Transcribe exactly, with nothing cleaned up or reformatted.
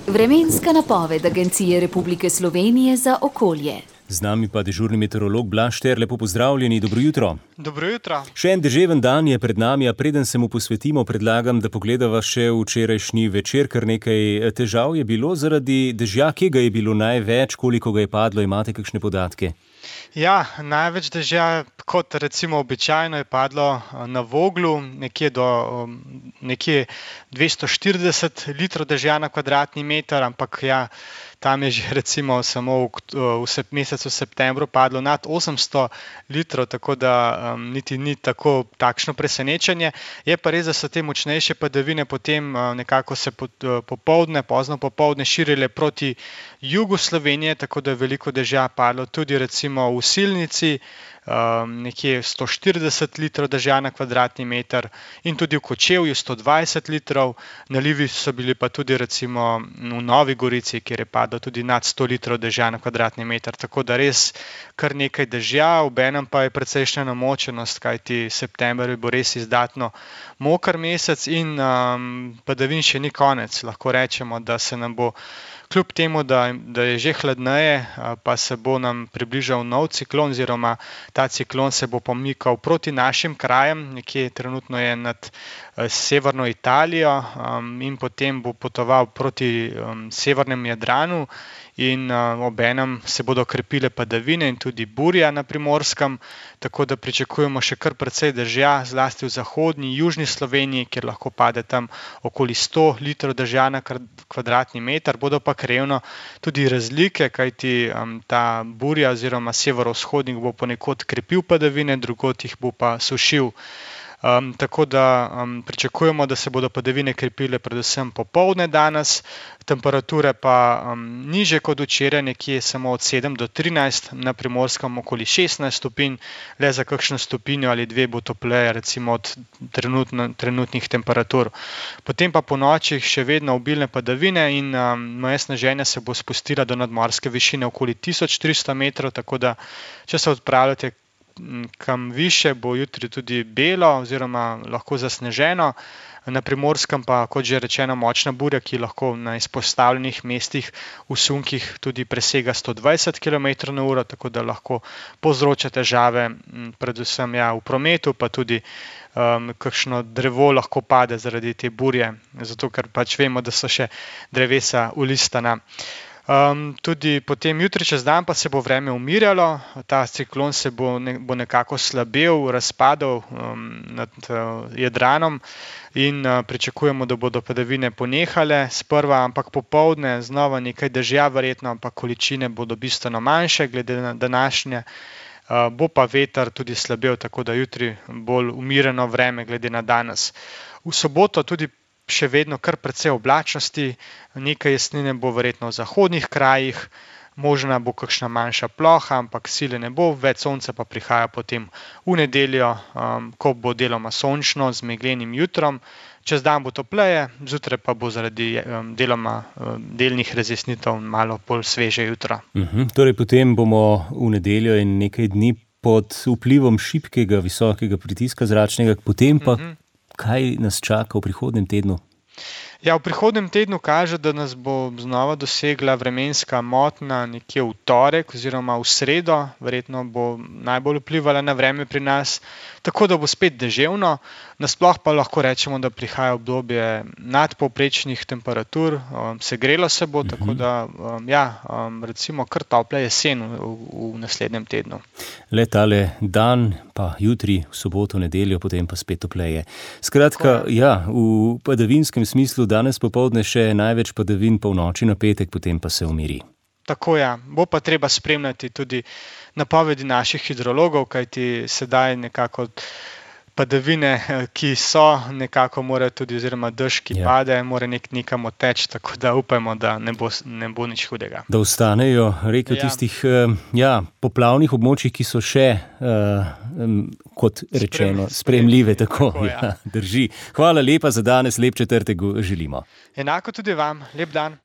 Vremenska napoved Agencije Republike Slovenije za okolje. Z nami pa dežurni meteorolog Blaž Šter, lepo pozdravljeni, dobro jutro. Dobro jutro. Še en deževen dan je pred nami, a preden se mu posvetimo, predlagam, da pogledava še včerajšnji večer, kar nekaj težav je bilo zaradi dežja. Kje ga je bilo največ, koliko ga je padlo, imate kakšne podatke? Ja, največ dežja, kot recimo običajno, je padlo na Voglu, nekje do nekje dvesto štirideset litrov dežja na kvadratni meter, ampak ja, tam je že recimo samo v, v mesecu septembru padlo nad osemsto litrov, tako da um, niti ni tako takšno presenečenje. Je pa res, da so te močnejše padavine potem uh, nekako se po, uh, popoldne, pozno popoldne širile proti jugu Slovenije, tako da je veliko dežja padlo tudi recimo v Silnici, um, nekje sto štirideset litrov dežja na kvadratni meter in tudi v Kočevju sto dvajset litrov, nalivi so bili pa tudi recimo v Novi Gorici, kjer je padlo tudi nad sto litrov dežja na kvadratni meter, tako da res kar nekaj dežja, obenem pa je precejšnja namočenost, kajti september bo res izdatno moker mesec in um, padavin še ni konec. Lahko rečemo, da se nam bo kljub temu, da, da je že hladneje, pa se bo nam približal nov ciklon, oziroma ta ciklon se bo pomikal proti našim krajem, nekje trenutno je nad severno Italijo um, in potem bo potoval proti um, severnemu Jadranu in uh, obenem se bodo krepile padavine in tudi burja na Primorskem, tako da pričakujemo še kar precej dežja, zlasti v zahodni, južni Sloveniji, kjer lahko pade tam okoli sto litrov dežja na kvadratni meter. Bodo pa krevno tudi razlike, kajti um, ta burja oziroma severovzhodnik bo ponekod krepil padavine, drugod jih bo pa sušil. Um, tako da um, pričakujemo, da se bodo padavine krepile predvsem popoldne danes, temperature pa um, niže kot včeraj, nekje samo od sedem do trinajst, na Primorskem okoli šestnajst stopinj, le za kakšno stopinjo ali dve bo topleje recimo od trenutno, trenutnih temperatur. Potem pa po noči še vedno obilne padavine in um, moje sneženje se bo spustila do nadmorske višine okoli tisoč tristo metrov, tako da če se odpravljate kam više, bo jutri tudi belo oziroma lahko zasneženo. Na Primorskem pa, kot že rečeno, močna burja, ki lahko na izpostavljenih mestih v sunkih tudi presega sto dvajset kilometrov na uro, tako da lahko povzroča težave predvsem ja, v prometu, pa tudi um, kakšno drevo lahko pade zaradi te burje, zato ker pač vemo, da so še drevesa ulistana. Um, tudi potem jutri čez dan pa se bo vreme umirjalo, ta ciklon se bo, ne, bo nekako slabel, razpadal um, nad uh, Jadranom in uh, pričakujemo, da bodo padavine ponehale sprva, ampak popoldne znova nekaj dežja verjetno, ampak količine bodo bistveno manjše glede na današnje. Uh, bo pa veter tudi slabel, tako da jutri bolj umirjeno vreme glede na danes. V soboto tudi še vedno kar precej oblačnosti, nekaj jesnine bo verjetno v zahodnih krajih, možna bo kakšna manjša ploha, ampak sile ne bo, več sonca pa prihaja potem v nedeljo, um, ko bo deloma sončno z meglenim jutrom, čez dan bo topleje, zjutraj pa bo zaradi um, deloma um, delnih razjasnitev malo bolj sveže jutro. Uh-huh. Torej potem bomo v nedeljo in nekaj dni pod vplivom šibkega, visokega pritiska zračnega, potem pa uh-huh. Kaj nas čaka v prihodnjem tednu? Ja, v prihodnjem tednu kaže, da nas bo znova dosegla vremenska motnja nekje v torek oziroma v sredo, verjetno bo najbolj vplivala na vreme pri nas, tako da bo spet deževno, nasploh pa lahko rečemo, da prihaja obdobje nadpovprečnih temperatur, um, segrelo se bo, tako da um, ja, um, recimo kar topla jesen v, v naslednjem tednu. Le tale dan, pa jutri, v soboto, nedeljo, potem pa spet topleje. Skratka, ja, v padavinskem smislu danes popoldne še največ padavin, polnoči na petek, potem pa se umiri. Tako ja, bo pa treba spremljati tudi napovedi naših hidrologov, kajti sedaj nekako padavine, ki so, nekako morajo tudi, oziroma dež, ki ja. pade, mora nek nekam odteči, tako da upajmo, da ne bo, ne bo nič hudega. Da ostanejo reke v ja. tistih ja, poplavnih območjih, ki so še, uh, um, kot rečeno, sprejemljive. Tako, tako ja. Ja, drži. Hvala lepa za danes, lep četrtek želimo. Enako tudi vam, lep dan.